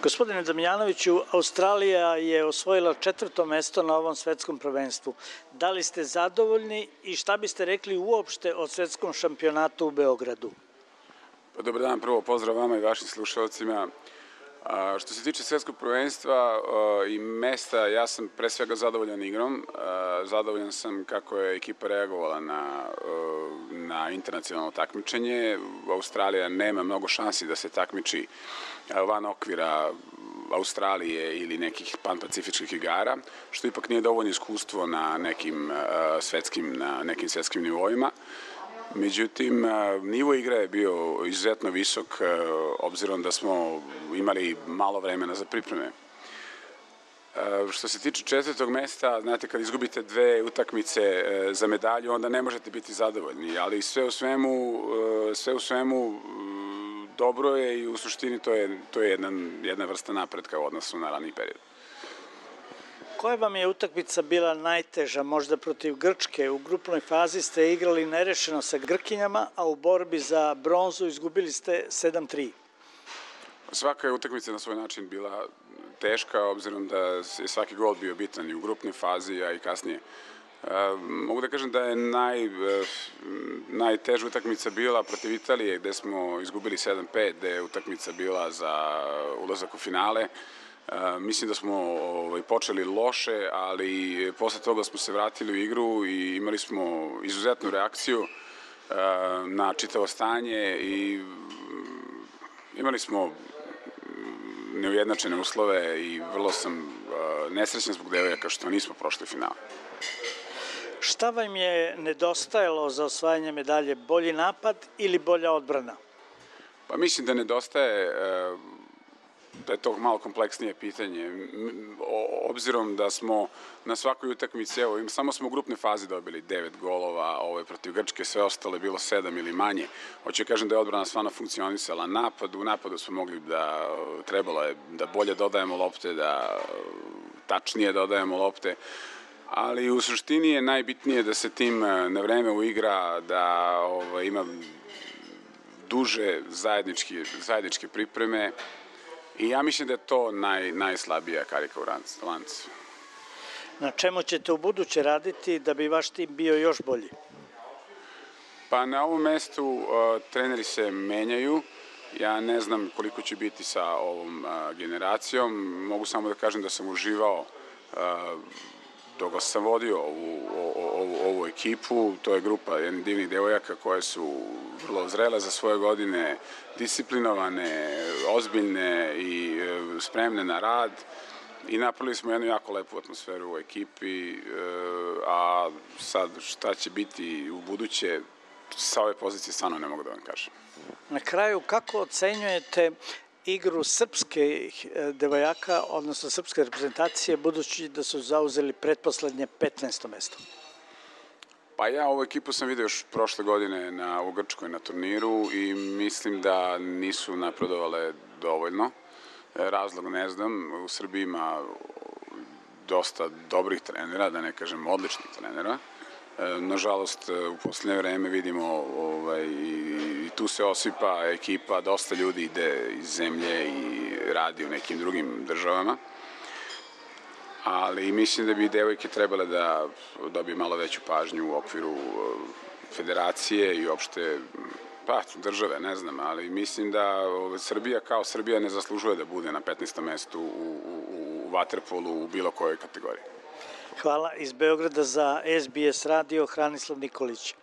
Gospodine Damjanoviću, Australija je osvojila 4. mesto na ovom svetskom prvenstvu. Da li ste zadovoljni i šta biste rekli uopšte o svetskom šampionatu u Beogradu? Dobar dan, prvo pozdrav vama i vašim slušalcima. Što se tiče svetskog prvenstva i mesta, ja sam pre svega zadovoljan igrom. Zadovoljan sam kako je ekipa reagovala na internacionalno takmičenje. Australija nema mnogo šansi da se takmiči van okvira Australije ili nekih panpacifičkih igara, što ipak nije dovoljno iskustvo na nekim svetskim nivoima. Međutim, nivo igre je bio izuzetno visok, obzirom da smo imali malo vremena za pripreme. Što se tiče 4. mesta, znate, kad izgubite 2 utakmice za medalju, onda ne možete biti zadovoljni, ali sve u svemu dobro je i u suštini to je jedna vrsta napretka u odnosu na raniji period. Koja vam je utakmica bila najteža, možda protiv Grčke? U grupnoj fazi ste igrali nerešeno sa Grkinjama, a u borbi za bronzu izgubili ste 7-3. Svaka je utakmica na svoj način bila teška, obzirom da je svaki gol bio bitan i u grupnoj fazi, a i kasnije. Mogu da kažem da je najteža utakmica bila protiv Italije, gde smo izgubili 7-5, gde je utakmica bila za ulazak u finale. Mislim da smo počeli loše, ali posle toga smo se vratili u igru i imali smo izuzetnu reakciju na čitavo stanje i imali smo neujednačene uslove i vrlo sam nesrećan zbog devojaka što nismo prošli finale. Šta vam je nedostajalo za osvajanje medalje? Bolji napad ili bolja odbrana? Pa mislim da nedostaje, da je to malo kompleksnije pitanje, obzirom da smo na svakoj utakmici, evo, samo smo u grupnoj fazi dobili 9 golova, protiv Grčke, sve ostalo je bilo 7 ili manje. Hoću kažem da je odbrana stvarno funkcionisala. U napadu smo mogli trebalo je da bolje dodajemo lopte, da tačnije dodajemo lopte, ali u suštini je najbitnije da se tim na vreme uigra, da ima duže zajedničke pripreme. I ja mislim da je to najslabija karika u lancu. Na čemu ćete u buduće raditi da bi vaš tim bio još bolji? Pa na ovom mestu treneri se menjaju. Ja ne znam koliko će biti sa ovom generacijom. Mogu samo da kažem da sam uživao dok sam vodio ovu ekipu. To je grupa jednih divnih devojaka koje su vrlo zrele za svoje godine, disciplinovane, ozbiljne i spremne na rad i napravili smo jednu jako lepu atmosferu u ekipi, a sad šta će biti u buduće, sa ove pozicije stvarno ne mogu da vam kažem. Na kraju, kako ocenjujete igru srpskih devojaka, odnosno srpske reprezentacije, budući da su zauzeli pretposlednje 15. mesto? Pa ja ovu ekipu sam vidio još prošle godine u Grčkoj na turniru i mislim da nisu napredovale dovoljno. Razlog ne znam, u Srbiji ima dosta dobrih trenera, da ne kažem odličnih trenera. Nažalost, u poslednje vreme vidimo i tu se osipa ekipa, dosta ljudi ide iz zemlje i radi u nekim drugim državama. Ali mislim da bi devojke trebale da dobije malo veću pažnju u okviru federacije i uopšte države, ne znam, ali mislim da Srbija kao Srbija ne zaslužuje da bude na 15. mestu u vaterpolu u bilo kojoj kategoriji. Hvala. Iz Beograda za SBS radio Hranislav Nikolić.